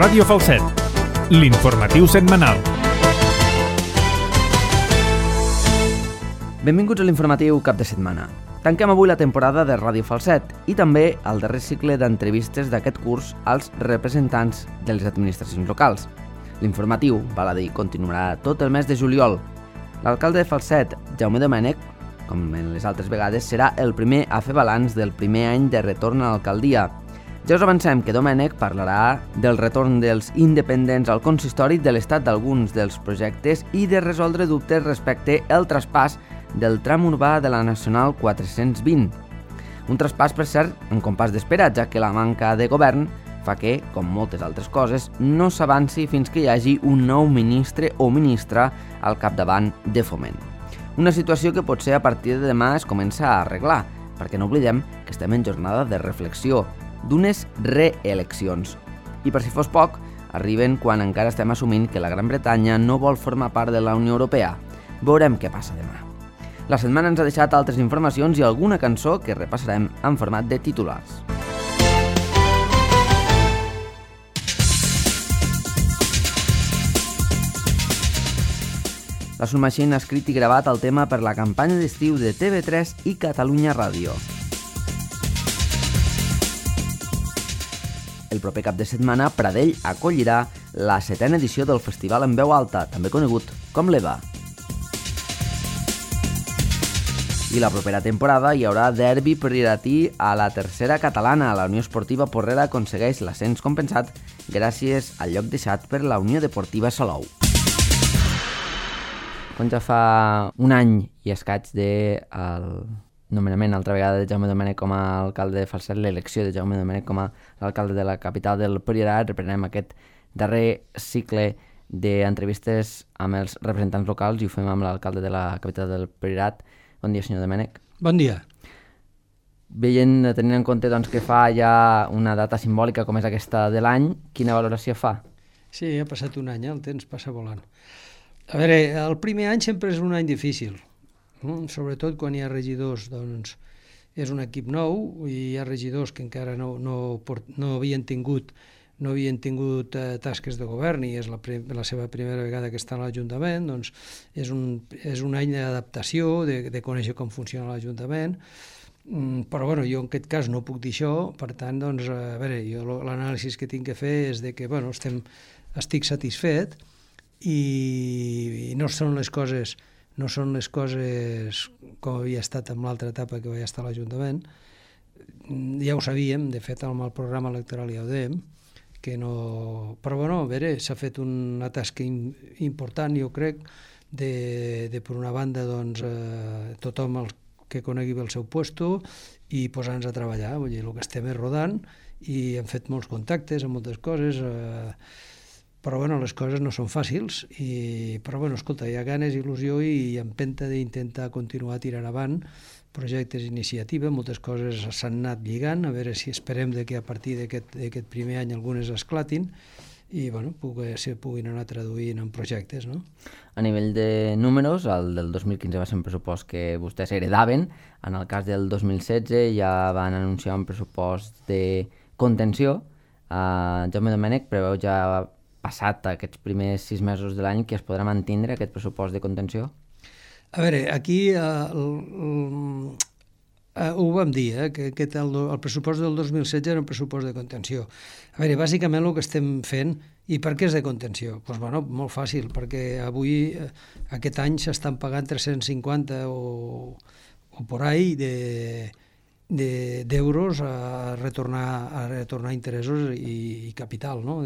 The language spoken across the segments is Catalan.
Ràdio Falset, l'informatiu setmanal. Benvinguts a l'informatiu cap de setmana. Tanquem avui la temporada de Ràdio Falset i també el darrer cicle d'entrevistes d'aquest curs als representants de les administracions locals. L'informatiu, val a dir, continuarà tot el mes de juliol. L'alcalde de Falset, Jaume Domènech, com en les altres vegades, serà el primer a fer balanç del primer any de retorn a l'alcaldia. Ja us avancem que Domènech parlarà del retorn dels independents al consistori, de l'estat d'alguns dels projectes i de resoldre dubtes respecte al traspàs del tram urbà de la Nacional 420. Un traspàs, per cert, en compàs d'espera, ja que la manca de govern fa que, com moltes altres coses, no s'avanci fins que hi hagi un nou ministre o ministra al capdavant de Foment. Una situació que potser a partir de demà es comença a arreglar, perquè no oblidem que estem en jornada de reflexió, d'unes reeleccions. I per si fos poc, arriben quan encara estem assumint que la Gran Bretanya no vol formar part de la Unió Europea. Veurem què passa demà. La setmana ens ha deixat altres informacions i alguna cançó que repassarem en format de titulars. La Submachine ha escrit i gravat el tema per la campanya d'estiu de TV3 i Catalunya Ràdio. El proper cap de setmana, Pradell acollirà la 7ª edició del Festival en Veu Alta, també conegut com l'EVA. I la propera temporada hi haurà derbi prioratí a la tercera catalana. La Unió Esportiva Porrera aconsegueix l'ascens compensat gràcies al lloc deixat per la Unió Deportiva Salou. Quan ja fa un any i escaig del nomenament altra vegada de Jaume Domènech com a alcalde de Falset, l'elecció de Jaume Domènech com a l'alcalde de la capital del Priorat, reprenem aquest darrer cicle d'entrevistes amb els representants locals i ho fem amb l'alcalde de la capital del Priorat. Bon dia, senyor Domènech. Bon dia. Tenint en compte doncs, que fa ja una data simbòlica com és aquesta de l'any, quina valoració fa? Sí, ha passat un any, el temps passa volant. A veure, el primer any sempre és un any difícil, sobretot quan hi ha regidors, doncs és un equip nou i hi ha regidors que encara no havien tingut tasques de govern i és la seva primera vegada que està a l'Ajuntament, doncs és un any d'adaptació, de conèixer com funciona l'Ajuntament, però bueno, jo en aquest cas no puc dir això, per tant, doncs, a veure, jo l'anàlisi que tinc que fer és de que, bueno, estic satisfet i no són les coses com havia estat amb l'altra etapa que vaig estar a l'Ajuntament. Ja ho sabíem, de fet, amb el programa electoral ja ho dèiem, que no... Però bueno, a veure, s'ha fet una tasca important, jo crec, de per una banda, doncs, tothom que conegui bé el seu puesto i posar-nos a treballar. Vull dir, el que estem és rodant i hem fet molts contactes amb moltes coses, però bueno, les coses no són fàcils, però bueno, escolta, hi ha ganes, il·lusió i empenta d'intentar continuar tirant avant projectes d'iniciativa, moltes coses s'han anat lligant, a veure si esperem que a partir d'aquest primer any algunes esclatin i bueno, se puguin anar traduint en projectes, no? A nivell de números, el del 2015 va ser un pressupost que vostès heredaven, en el cas del 2016 ja van anunciar un pressupost de contenció. Jaume Domènech preveu ja passat aquests primers 6 mesos de l'any que es podrà mantindre aquest pressupost de contenció? A veure, aquí ho vam dir, que el pressupost del 2016 era un pressupost de contenció. A veure, bàsicament el que estem fent, i per què és de contenció? Doncs bueno, molt fàcil, perquè avui, aquest any, s'estan pagant 350 o por ahí d'euros a retornar interessos i capital, no?,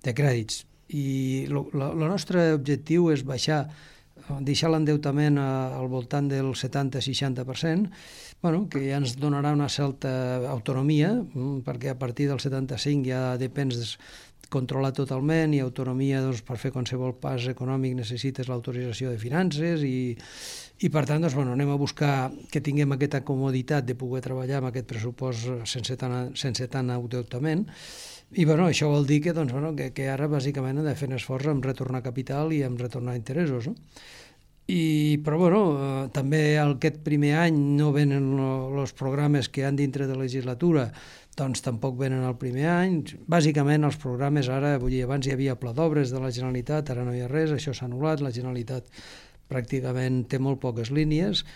de crèdits. I el nostre objectiu és deixar l'endeutament al voltant del 70-60%, que ja ens donarà una certa autonomia, perquè a partir del 75 ja depens controlar totalment i autonomia, doncs, per fer qualsevol pas econòmic necessites l'autorització de finances i per tant, doncs, anem a buscar que tinguem aquesta comoditat de poder treballar amb aquest pressupost sense tant endeutament. I això vol dir que ara bàsicament hem de fer un esforç en retornar capital i en retornar interessos, no? Però bueno, també aquest primer any no venen els programes que han dintre de legislatura, doncs tampoc venen el primer any. Bàsicament els programes ara, vull dir, abans hi havia pla d'obres de la Generalitat, ara no hi ha res, això s'ha anul·lat, la Generalitat pràcticament té molt poques línies,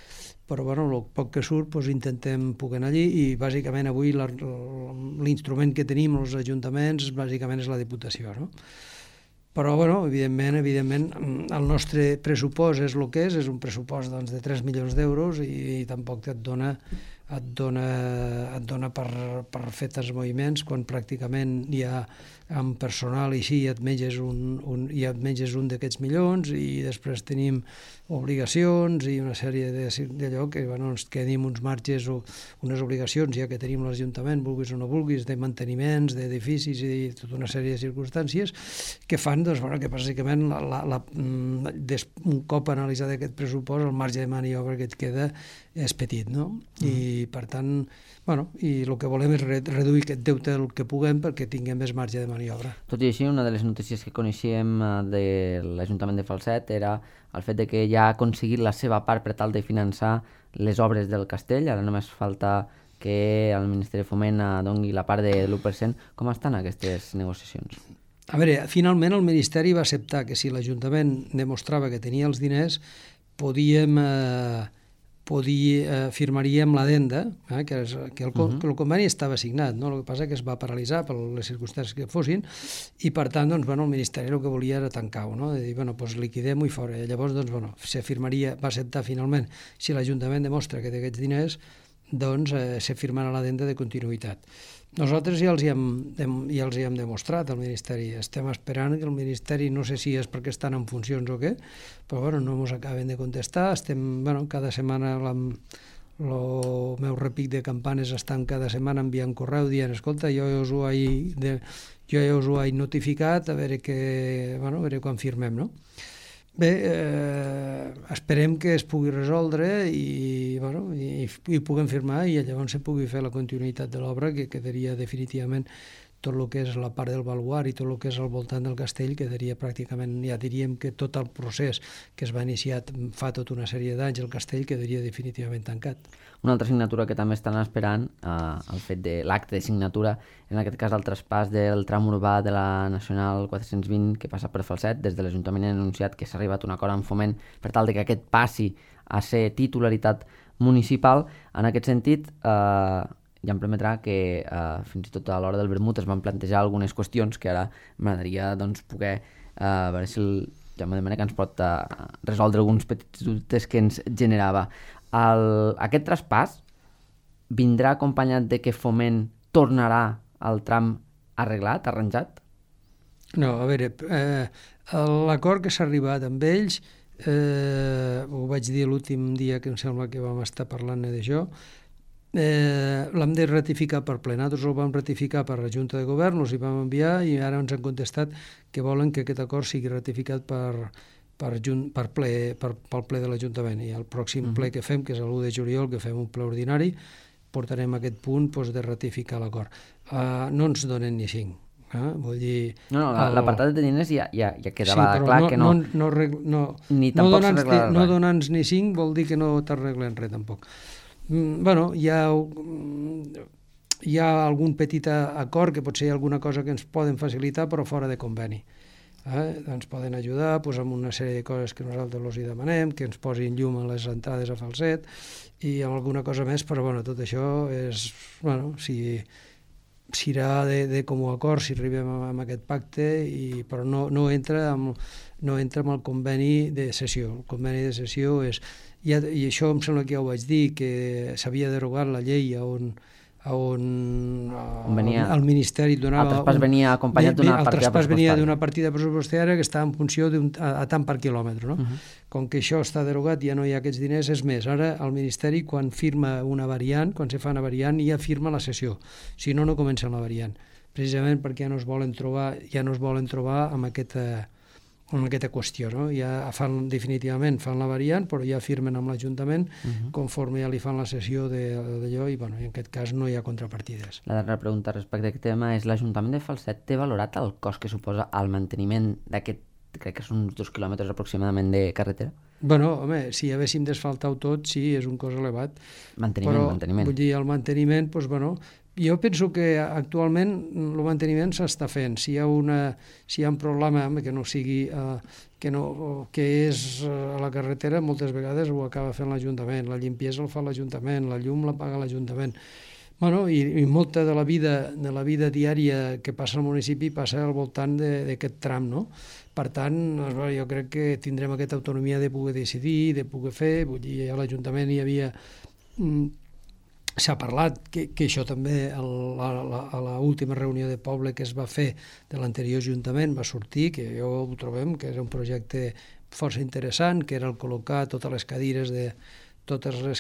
però bueno, el poc que surt doncs intentem poder anar allí i bàsicament avui l'instrument que tenim els ajuntaments bàsicament és la Diputació, no? Però, bueno, evidentment, el nostre pressupost és el que és un pressupost doncs, de 3 milions d'euros i tampoc et dona per fer tants moviments quan pràcticament hi ha amb personal i sí et menges un d'aquests milions i després tenim obligacions i una sèrie d'allò que bueno, ens quedim uns marges o unes obligacions ja que tenim l'Ajuntament, vulguis o no vulguis, de manteniments, d'edificis i tota una sèrie de circumstàncies que fan doncs, bueno, que bàsicament un cop analitzat aquest pressupost el marge de maniobra que et queda és petit, no? I per tant, bueno, i el que volem és reduir aquest deute el que puguem perquè tinguem més marge de maniobra. Tot i així, una de les notícies que coneixíem de l'Ajuntament de Falset era el fet de que ja ha aconseguit la seva part per tal de finançar les obres del castell, ara només falta que el Ministeri de Foment doni la part de l'1%. Com estan aquestes negociacions? A veure, finalment el Ministeri va acceptar que si l'Ajuntament demostrava que tenia els diners, firmaríem l'adenda, que el conveni estava signat, no? El que passa que es va paralitzar per les circumstàncies que fossin i per tant doncs, bueno, el Ministeri el que volia era tancar-ho, no? De dir, bueno, doncs liquidem-ho i fora. I llavors doncs, bueno, va acceptar finalment, si l'Ajuntament demostra que té aquests diners, doncs se firmarà l'adenda de continuïtat. Nosaltres ja els hi hem demostrat al Ministeri. Estem esperant que el Ministeri, no sé si és perquè estan en funcions o què, però bueno, no ens acaben de contestar. Cada setmana el meu repic de campanes estan cada setmana enviant correu dient, escolta, jo ja us ho he notificat, a veure quan firmem, no? Bé, esperem que es pugui resoldre i puguem firmar i llavors se pugui fer la continuïtat de l'obra, que quedaria definitivament tot el que és la part del baluard i tot el que és al voltant del castell, quedaria pràcticament, ja diríem que tot el procés que es va iniciar fa tota una sèrie d'anys, el castell quedaria definitivament tancat. Una altra signatura que també estan esperant, el fet de l'acte de signatura, en aquest cas el traspàs del tram urbà de la Nacional 420 que passa per Falset. Des de l'Ajuntament han anunciat que s'ha arribat a un acord amb Foment per tal de que aquest passi a ser titularitat municipal. En aquest sentit, ja em permetrà que fins i tot a l'hora del vermut es van plantejar algunes qüestions que ara m'agradaria poder veure si el Jaume de Mena que ens pot resoldre alguns petits dubtes que ens generava. Aquest traspàs vindrà acompanyat de que Foment tornarà al tram arreglat, arranjat? No, a veure, l'acord que s'ha arribat amb ells, ho vaig dir l'últim dia que em sembla que vam estar parlant d'això, l'hem de ratificar per ple. Nosaltres ho vam ratificar per la Junta de Govern, els hi vam enviar i ara ens han contestat que volen que aquest acord sigui ratificat pel ple de l'Ajuntament. I el pròxim ple que fem, que és l'1 de juliol, que fem un ple ordinari, portarem aquest punt de ratificar l'acord. No ens donen ni 5. Vull dir... No, l'apartat de diners ja quedava clar que no... Ni tampoc s'arreglarà res. No donar-nos ni 5 vol dir que no t'arreglen res, tampoc. Hi ha algun petit acord que potser hi ha alguna cosa que ens poden facilitar però fora de conveni. Ens poden ajudar amb una sèrie de coses que nosaltres els demanem, que ens posin llum a les entrades a Falset i amb alguna cosa més, però tot això és, serà de comú acord si arribem a aquest pacte, però no entra amb el conveni de cessió. El conveni de cessió és, i això em sembla que ja ho vaig dir, que s'havia derogat la llei on el Ministeri donava... El traspàs venia acompanyat d'una partida pressupostària. El traspàs venia d'una partida pressupostària que estava en funció a tant per quilòmetre. No? Com que això està derogat, ja no hi ha aquests diners. És més, ara el Ministeri, quan firma una variant, quan se fa una variant, ja firma la cessió. Si no, no comença la variant. Precisament perquè ja no es volen trobar amb aquesta qüestió, no? Ja definitivament fan la variant, però ja firmen amb l'Ajuntament conforme ja li fan la cessió d'allò i en aquest cas no hi ha contrapartides. La darrera pregunta respecte a aquest tema és: l'Ajuntament de Falset té valorat el cost que suposa el manteniment d'aquest, crec que són uns 2 quilòmetres aproximadament de carretera? Bueno, home, si haguéssim d'asfaltar-ho tot, sí, és un cost elevat. Manteniment. Vull dir, el manteniment, doncs, bueno, jo penso que actualment el manteniment s'està fent. Si hi ha un problema que no sigui, que és a la carretera, moltes vegades ho acaba fent l'Ajuntament. La limpiesa el fa l'Ajuntament, la llum la paga l'Ajuntament. Bueno, i molta de la vida diària que passa al municipi passa al voltant d'aquest tram, no? Per tant, jo crec que tindrem aquesta autonomia de poder decidir, de poder fer. Vull dir, a l'Ajuntament hi havia... S'ha parlat que això també a l'última reunió de poble que es va fer de l'anterior Ajuntament va sortir, que jo ho trobem que era un projecte força interessant, que era el col·locar totes les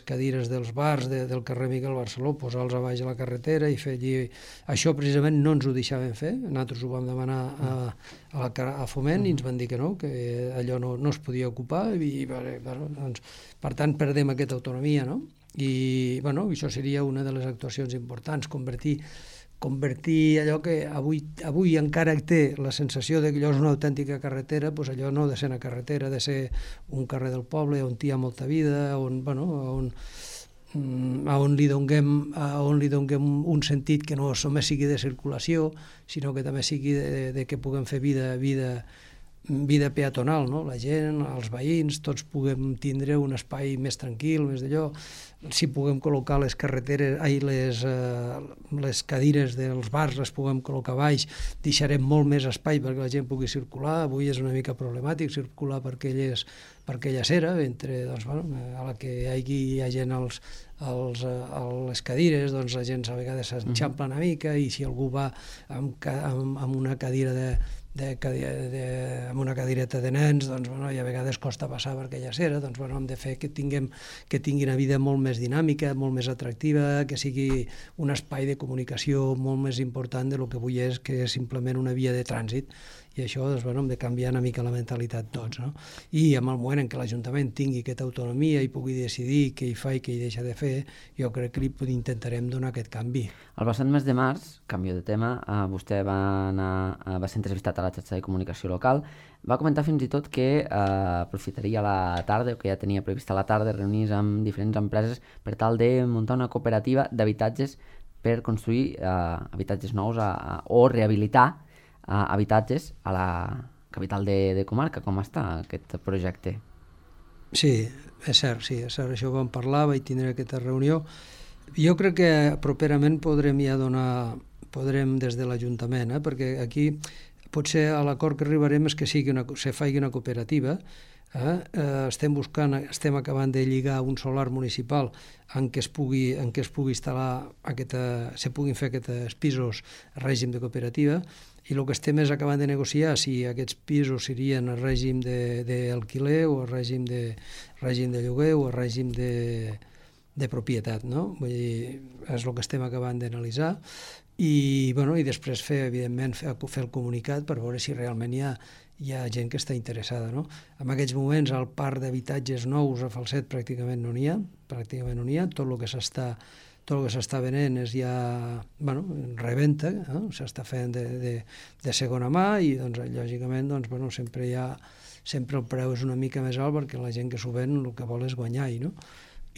cadires dels bars del carrer Miquel Barceló, posar-los a baix a la carretera i fer allí... Això precisament no ens ho deixaven fer, nosaltres ho vam demanar a Foment i ens van dir que no, que allò no es podia ocupar i doncs, per tant perdem aquesta autonomia, no? I bueno, això seria una de les actuacions importants, convertir allò que avui encara té la sensació de que allò és una autèntica carretera, doncs allò no ha de ser una carretera, ha de ser un carrer del poble on hi ha molta vida, on li donem un sentit que no només sigui de circulació, sinó que també sigui de que puguem fer vida peatonal, no? La gent, els veïns, tots puguem tindre un espai més tranquil, més d'allò. Si puguem col·locar les cadires dels bars, les puguem col·locar baix, deixarem molt més espai perquè la gent pugui circular. Avui és una mica problemàtic circular per aquella acera, doncs, a la que hi ha gent a les cadires, doncs la gent a vegades s'enxampla una mica i si algú va amb una cadira amb una cadireta de nens, doncs, i a vegades costa passar per aquella acera, doncs, hem de fer que tinguin una vida molt més dinàmica, molt més atractiva, que sigui un espai de comunicació molt més important del que avui és, que és simplement una via de trànsit. I això, doncs, hem de canviar una mica la mentalitat tots, no? I en el moment en què l'Ajuntament tingui aquesta autonomia i pugui decidir què hi fa i què hi deixa de fer, jo crec que li intentarem donar aquest canvi. El passat mes de març, canvio de tema, vostè va ser entrevistat a la xarxa de comunicació local, va comentar fins i tot que aprofitaria la tarda, o que ja tenia previst a la tarda, reunir-se amb diferents empreses per tal de muntar una cooperativa d'habitatges per construir habitatges nous o rehabilitar habitatges a la capital de comarca. Com està aquest projecte? Sí, és cert, això ho vam parlar, vaig tindre aquesta reunió. Jo crec que properament podrem des de l'Ajuntament, perquè aquí potser a l'acord que arribarem és que se faci una cooperativa. Estem acabant de lligar un solar municipal en què es pugui instal·lar se puguin fer aquests pisos a règim de cooperativa, i el que estem és acabant de negociar si aquests pisos serien a règim d'alquiler o a règim de lloguer o a règim de propietat, no? Vull dir, és el que estem acabant d'analitzar i després evidentment fer el comunicat per veure si realment hi ha gent que està interessada, no? En aquests moments al parc d'habitatges nous a Falset pràcticament no n'hi ha, tot el que s'està venent és ja reventa, s'està fent de segona mà i doncs, lògicament sempre el preu és una mica més alt perquè la gent que s'ho ven el que vol és guanyar-hi, no?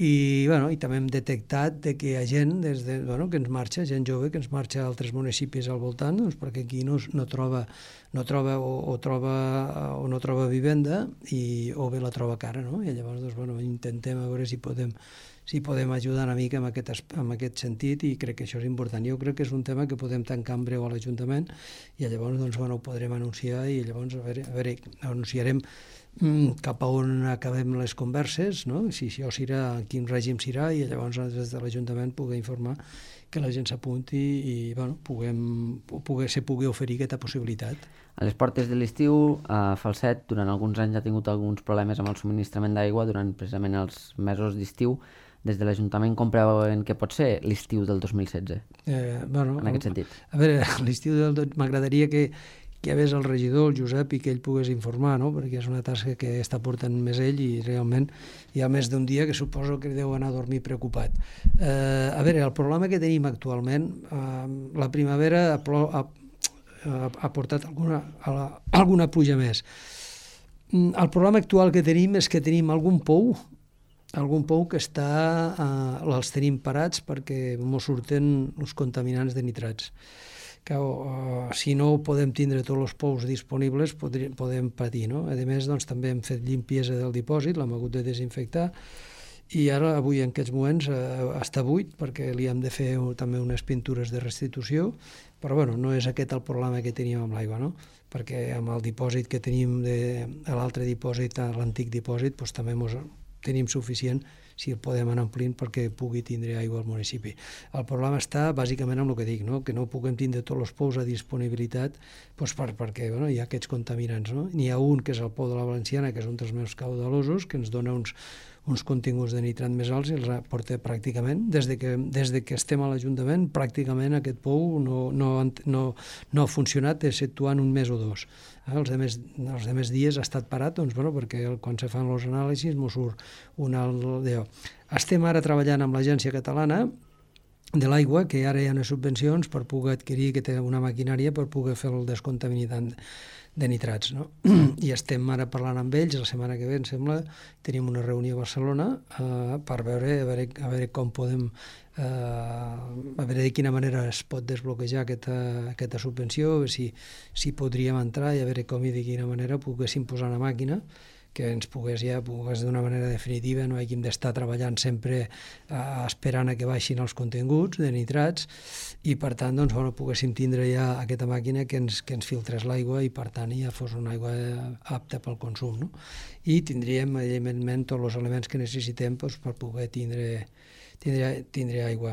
I també hem detectat que hi ha gent que ens marxa, gent jove que ens marxa a altres municipis al voltant, doncs, perquè aquí no troba vivenda o bé la troba cara, no? I llavors intentem a veure si podem ajudar una mica en aquest sentit, i crec que això és important. Jo crec que és un tema que podem tancar en breu a l'Ajuntament i llavors ho podrem anunciar i llavors anunciarem cap a on acabem les converses, no? Si això serà, quin règim serà, i llavors des de l'Ajuntament poder informar que la gent s'apunti i se pugui oferir aquesta possibilitat. A les portes de l'estiu, Falset durant alguns anys ha tingut alguns problemes amb el subministrament d'aigua durant precisament els mesos d'estiu. Des de l'Ajuntament com preveuen que pot ser l'estiu del 2016? En aquest sentit. A veure, l'estiu m'agradaria que hi hagués el regidor, el Josep, i que ell pogués informar, no? Perquè és una tasca que està portant més ell i realment hi ha més d'un dia que suposo que deu anar a dormir preocupat. A veure, el problema que tenim actualment, la primavera ha portat alguna pluja més. El problema actual que tenim és que tenim algun pou que els tenim parats perquè mos surten els contaminants de nitrats. Si no podem tindre tots els pous disponibles, podem patir, no? A més, doncs, també hem fet limpiesa del dipòsit, l'hem hagut de desinfectar, i ara, avui, en aquests moments, està buit, perquè li hem de fer també unes pintures de restitució, però bueno, no és aquest el problema que teníem amb l'aigua, no? Perquè amb el dipòsit que tenim a l'altre dipòsit, a l'antic dipòsit, doncs també tenim suficient si el podem anar omplint perquè pugui tindre aigua al municipi. El problema està bàsicament amb el que dic, no? Que no puguem tindre tots els pous a disponibilitat doncs perquè hi ha aquests contaminants. No? N'hi ha un que és el pou de la Valenciana, que és un dels més caudalosos, que ens dona uns continguts de nitrat més alts i els porta pràcticament, des de que estem a l'Ajuntament, pràcticament aquest pou no ha funcionat exceptuant un mes o dos. Els demés dies ha estat parat perquè quan se fan els anàlisis mos surt un alt d'allò. Estem ara treballant amb l'Agència Catalana de l'Aigua, que ara hi ha unes subvencions per poder adquirir una maquinària per poder fer el descontaminant de nitrats. No? I estem ara parlant amb ells, la setmana que ve, em sembla, tenim una reunió a Barcelona per veure com podem, a veure de quina manera es pot desbloquejar aquesta subvenció, si podríem entrar i a veure com i de quina manera poguéssim posar una màquina que ens pogués d'una manera definitiva, no hàgim d'estar treballant sempre esperant a que baixin els continguts de nitrats i per tant poguéssim tindre ja aquesta màquina que ens filtrés l'aigua i per tant ja fos una aigua apta pel consum. No? I tindríem evidentment tots els elements que necessitem per poder tindre aigua.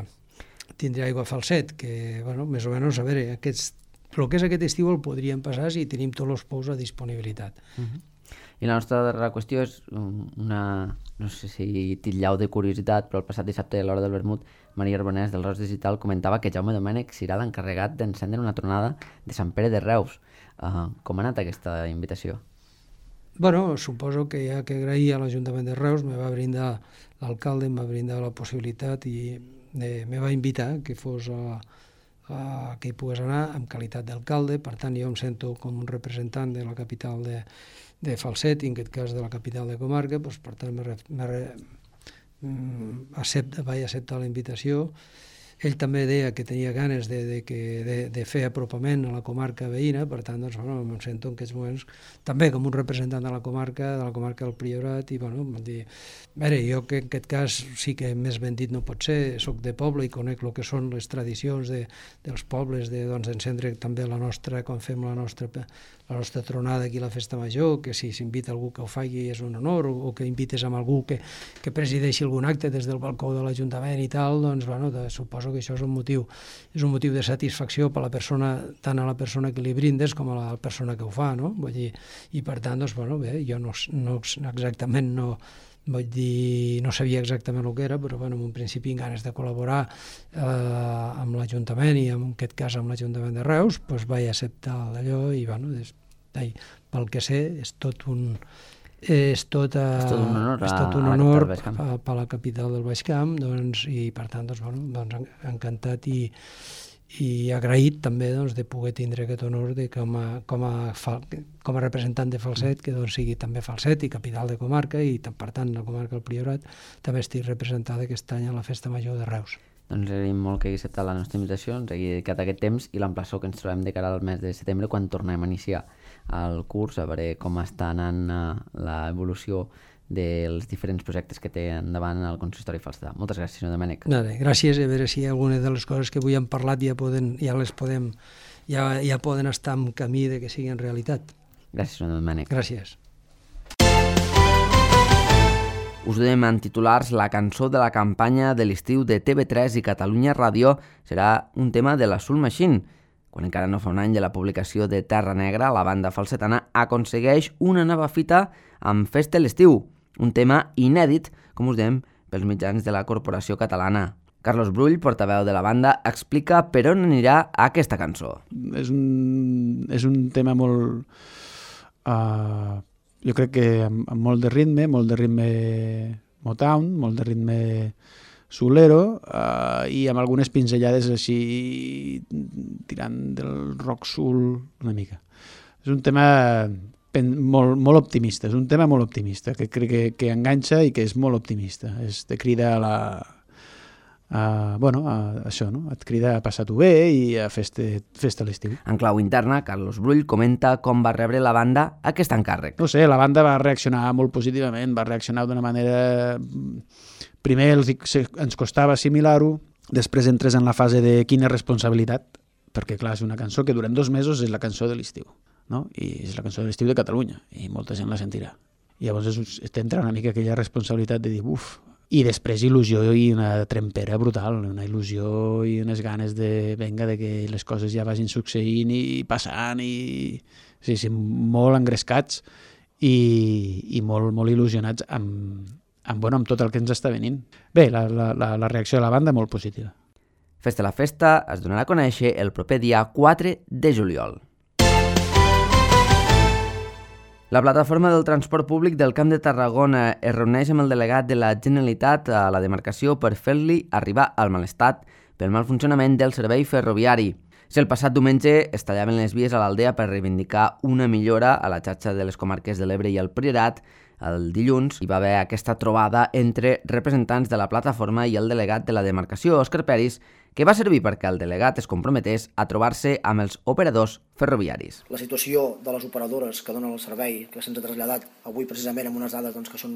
Tindre aigua Falset, que més o menys, a veure, el que és aquest estiu el podríem passar si tenim tots els pous a disponibilitat. I la nostra darrera qüestió és no sé si titllau de curiositat, però el passat dissabte a l'hora del vermut, Maria Arbonès del Reus Digital comentava que Jaume Domènech serà l'encarregat d'encendre una tronada de Sant Pere de Reus. Com ha anat aquesta invitació? Suposo que hi ha que agrair a l'Ajuntament de Reus, me va brindar l'alcalde, em va brindar la possibilitat i me va invitar que que hi pogués anar en qualitat d'alcalde, per tant jo em sento com un representant de la capital de Falset, i en aquest cas de la capital de comarca, per tant vaig acceptar la invitació. Ell també deia que tenia ganes de fer apropament a la comarca veïna, per tant, em sento en aquests moments també com un representant de la comarca del Priorat, i em va dir, jo que en aquest cas sí que més ben dit no pot ser, soc de poble i conec el que són les tradicions dels pobles, d'encendre també quan fem la nostra tronada aquí a la Festa Major, que si s'invita algú que ho faci és un honor, o que invites amb algú que presideixi algun acte des del balcó de l'Ajuntament i tal, suposo que això és un motiu de satisfacció per tant a la persona que li brindes com a la persona que ho fa, no? Vull dir, i per tant, jo no exactament no sabia exactament el que era, però en un principi amb ganes de col·laborar amb l'Ajuntament i en aquest cas amb l'Ajuntament de Reus, vaig acceptar d'allò i pel que sé és tot un honor per la capital del Baix Camp, i per tant encantat i agraït també de poder tindre aquest honor com a representant de Falset, que sigui també Falset i capital de comarca, i per tant la comarca del Priorat també estic representada aquest any a la Festa Major de Reus. Doncs agraïm molt que hagi acceptat la nostra invitació, ens hagi dedicat aquest temps i l'emplaçó que ens trobem de cara al mes de setembre quan tornem a iniciar el curs, a veure com està anant l'evolució dels diferents projectes que té endavant el Consistori Falsetà. Moltes gràcies, senyor Domènech. Gràcies, a veure si alguna de les coses que avui hem parlat ja poden estar en camí de que siguin realitat. Gràcies, senyor Domènech. Gràcies. Us dèiem en titulars, la cançó de la campanya de l'estiu de TV3 i Catalunya Ràdio serà un tema de la Soul Machine. Quan encara no fa un any de la publicació de Terra Negra, la banda falsetana aconsegueix una nova fita amb Festa l'estiu, un tema inèdit, com us dèiem, pels mitjans de la Corporació Catalana. Carlos Brull, portaveu de la banda, explica per on anirà aquesta cançó. És un tema molt... jo crec que amb molt de ritme Motown, molt de ritme soulero, i amb algunes pinzellades així tirant del rock soul una mica. És un tema molt optimista, és un tema molt optimista, que crec que enganxa i que és molt optimista. Te crida això, no? Et crida a passar-t'ho bé i a fer-te l'estiu. En clau interna, Carlos Brull comenta com va rebre la banda aquest encàrrec. No sé, la banda va reaccionar molt positivament, va reaccionar d'una manera... Primer ens costava assimilar-ho, després entres en la fase de quina responsabilitat, perquè clar, és una cançó que durant 2 mesos és la cançó de l'estiu, no? I és la cançó de l'estiu de Catalunya, i molta gent la sentirà. I llavors t'entra una mica aquella responsabilitat de dir, i després il·lusió i una trempera brutal, una il·lusió i unes ganes de que les coses ja vagin succeint i passant, i sí, molt engrescats i molt il·lusionats amb tot el que ens està venint. Bé, la reacció de la banda molt positiva. Festa la Festa es donarà a conèixer el proper dia 4 de juliol. La plataforma del transport públic del Camp de Tarragona es reuneix amb el delegat de la Generalitat a la demarcació per fer-li arribar al mal estat pel mal funcionament del servei ferroviari. Si el passat diumenge es tallaven les vies a l'Aldea per reivindicar una millora a la xarxa de les comarques de l'Ebre i el Priorat, el dilluns hi va haver aquesta trobada entre representants de la plataforma i el delegat de la demarcació, Òscar Peris, que va servir perquè el delegat es comprometés a trobar-se amb els operadors ferroviaris. La situació de les operadores que donen el servei, que se'ns ha traslladat avui precisament amb unes dades que són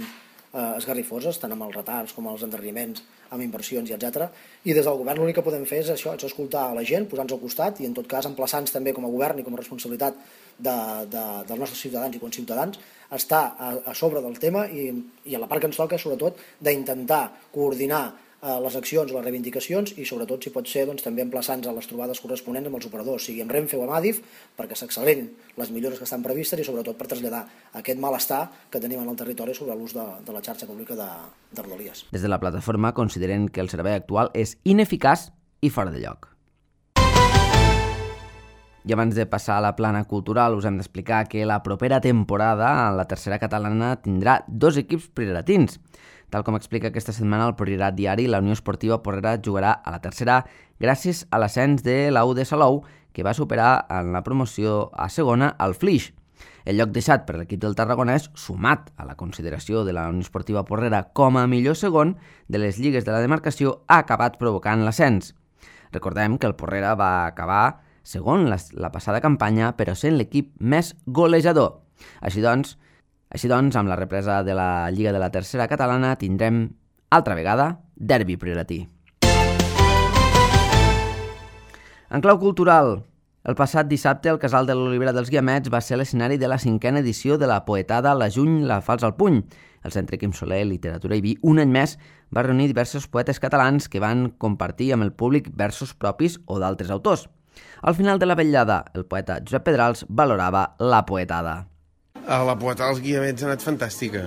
esgarrifoses, tant amb els retards com els endarreriments, amb inversions i etc. I des del govern l'únic que podem fer és això, és escoltar a la gent, posar-nos al costat i en tot cas emplaçar-nos també com a govern i com a responsabilitat dels nostres ciutadans i conciutadans estar a sobre del tema i a la part que ens toca sobretot d'intentar coordinar les accions, les reivindicacions i sobretot, si pot ser, també emplaçant-nos a les trobades corresponents amb els operadors, sigui amb Renfe o amb Adif, perquè s'accelerin les millores que estan previstes i sobretot per traslladar aquest malestar que tenim en el territori sobre l'ús de la xarxa pública de Rodalies. Des de la plataforma consideren que el servei actual és ineficaç i fora de lloc. I abans de passar a la plana cultural us hem d'explicar que la propera temporada la tercera catalana tindrà 2 equips prioratins. Tal com explica aquesta setmana el Priorat Diari, la Unió Esportiva Porrera jugarà a la tercera gràcies a l'ascens de l'U de Salou, que va superar en la promoció a segona al Flix. El lloc deixat per l'equip del Tarragonès, sumat a la consideració de la Unió Esportiva Porrera com a millor segon de les lligues de la demarcació, ha acabat provocant l'ascens. Recordem que el Porrera va acabar segon la passada campanya, però sent l'equip més golejador. Així doncs, amb la represa de la Lliga de la Tercera Catalana tindrem, altra vegada, derbi prioratí. En clau cultural, el passat dissabte el Casal de l'Olivera dels Guiamets va ser l'escenari de la 5a edició de la poetada La Juny, la Fals al Puny. El Centre Quim Soler, Literatura i Vi, un any més, va reunir diversos poetes catalans que van compartir amb el públic versos propis o d'altres autors. Al final de la vetllada, el poeta Josep Pedrals valorava la poetada. La poetada dels Guiamets ha anat fantàstica.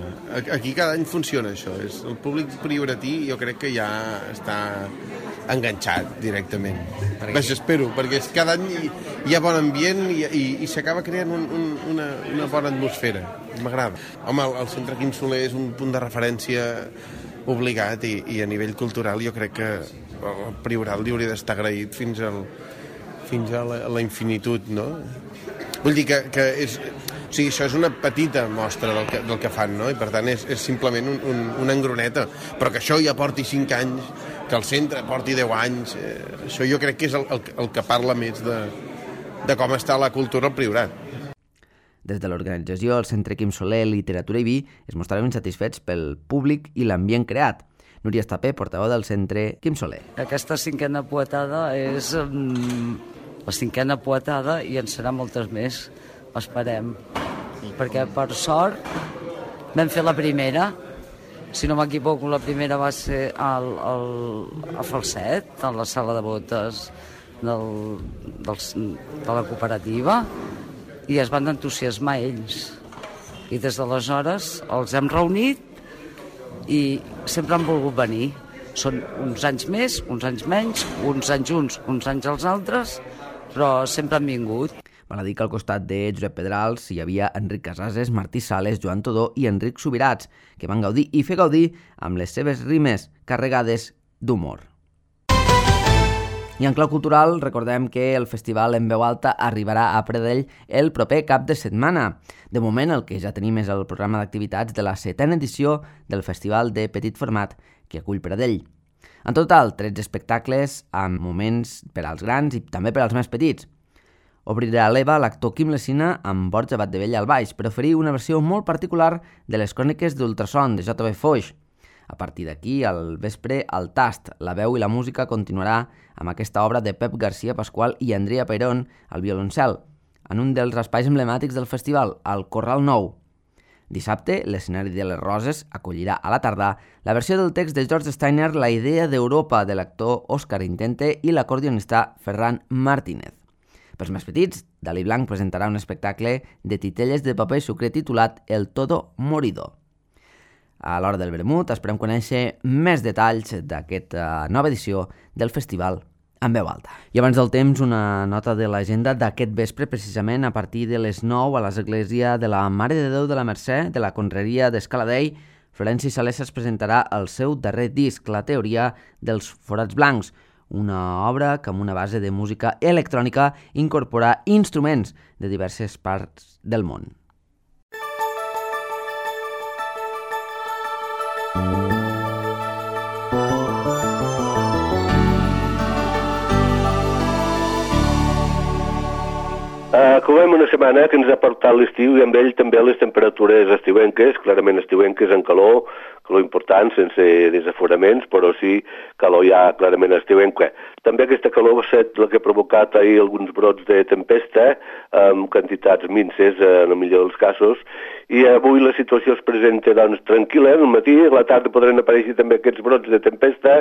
Aquí cada any funciona això. El públic prioratí jo crec que ja està enganxat directament. Vaja, espero, perquè cada any hi ha bon ambient i s'acaba creant una bona atmosfera. M'agrada. Home, el Centre Quim Soler és un punt de referència obligat i a nivell cultural jo crec que el Priorat li hauria d'estar agraït fins a la infinitud, no? Vull dir que és... O sigui, això és una petita mostra del que fan, no? I per tant és simplement una engroneta. Però que això ja porti 5 anys, que el centre porti 10 anys, això jo crec que és el que parla més de com està la cultura al Priorat. Des de l'organització, el Centre Quim Soler, Literatura i Vi es mostraven satisfets pel públic i l'ambient creat. Núria Estapé, portaveu del Centre Quim Soler. Aquesta 5a poetada és la 5a poetada i en serà moltes més. Esperem, perquè per sort vam fer la primera, si no m'equivoco la primera va ser a Falset, a la sala de botes de la cooperativa, i es van entusiasmar ells i des d'aleshores els hem reunit i sempre han volgut venir. Són uns anys més, uns anys menys, uns anys uns, uns anys els altres, però sempre han vingut. Val a dir que al costat de Josep Pedrals hi havia Enric Casases, Martí Sales, Joan Todó i Enric Subirats, que van gaudir i fer gaudir amb les seves rimes carregades d'humor. I en clau cultural, recordem que el festival En Veu Alta arribarà a Pradell el proper cap de setmana. De moment, el que ja tenim és el programa d'activitats de la 7a edició del Festival de Petit Format que acull Pradell. En total, 13 espectacles amb moments per als grans i també per als més petits. Obrirà l'EVA l'actor Quim Lessina amb Borja Batdevella al baix per oferir una versió molt particular de les cròniques d'Ultrason de J.B. Foix. A partir d'aquí, al vespre, el tast, la veu i la música continuarà amb aquesta obra de Pep García Pasqual i Andrea Peirón al violoncel, en un dels espais emblemàtics del festival, el Corral Nou. Dissabte, l'escenari de les Roses acollirà a la tardà la versió del text de George Steiner La idea d'Europa de l'actor Òscar Intente i l'acordionista Ferran Martínez. Pels més petits, Dalí Blanc presentarà un espectacle de titelles de paper sucre titulat El Todo Morido. A l'hora del vermut esperem conèixer més detalls d'aquesta nova edició del festival En Veu Alta. I abans del temps, una nota de l'agenda d'aquest vespre, precisament a partir de les 9 a l'església de la Mare de Déu de la Mercè de la Conreria d'Escaladei. Florenci Salesas presentarà el seu darrer disc, La teoria dels forats blancs, una obra que amb una base de música electrònica incorpora instruments de diverses parts del món. Acabem una setmana que ens ha portat l'estiu i amb ell també les temperatures estiuenques, clarament estiuenques en calor important, sense desaforaments, però sí calor ja clarament estiuenca. També aquesta calor va ser la que ha provocat ahir alguns brots de tempesta, amb quantitats minces en el millor dels casos, i avui la situació es presenta doncs, tranquil·la, al matí, a la tarda podran aparèixer també aquests brots de tempesta,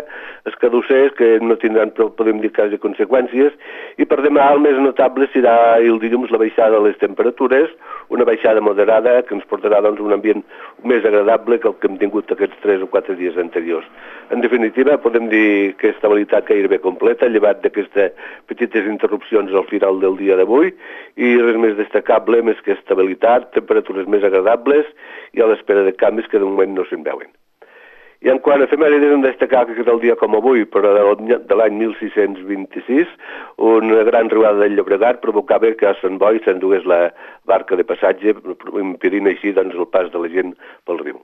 escadussers, que no tindran, podem dir, quasi conseqüències, i per demà el més notable serà el dilluns la baixada de les temperatures, una baixada moderada que ens portarà doncs, un ambient més agradable que el que hem tingut aquests 3 o 4 dies anteriors. En definitiva, podem dir que estabilitat gairebé completa, llevat d'aquestes petites interrupcions al final del dia d'avui, i res més destacable, més que estabilitat, temperatures més agradables i a l'espera de canvis que de moment no se'n veuen. I en quant a efemèrides, hem de destacar que el dia com avui, però de l'any 1626, una gran riuada del Llobregat provocava que a Sant Boi s'endugués la barca de passatge, impedint així doncs, el pas de la gent pel riu.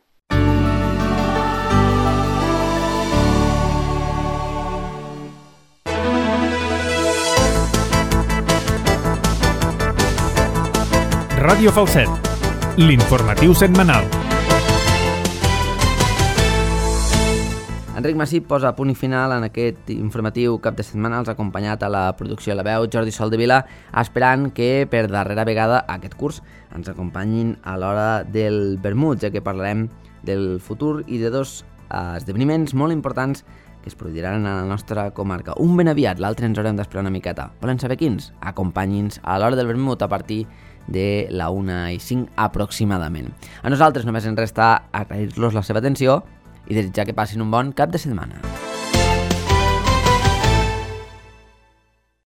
Ràdio Falset, l'informatiu setmanal. Enric Massip posa punt i final en aquest informatiu cap de setmana. Els ha acompanyat a la producció de la veu Jordi Soldevila, esperant que per darrera vegada aquest curs ens acompanyin a l'hora del vermut, ja que parlarem del futur i de 2 esdeveniments molt importants que es produiran a la nostra comarca. Un ben aviat, l'altre ens haurem d'esperar una miqueta. Volen saber quins? Acompanyi'ns a l'hora del vermut a partir de la 1:05 aproximadament. A nosaltres només ens resta agrair-los la seva atenció i desitjar que passin un bon cap de setmana.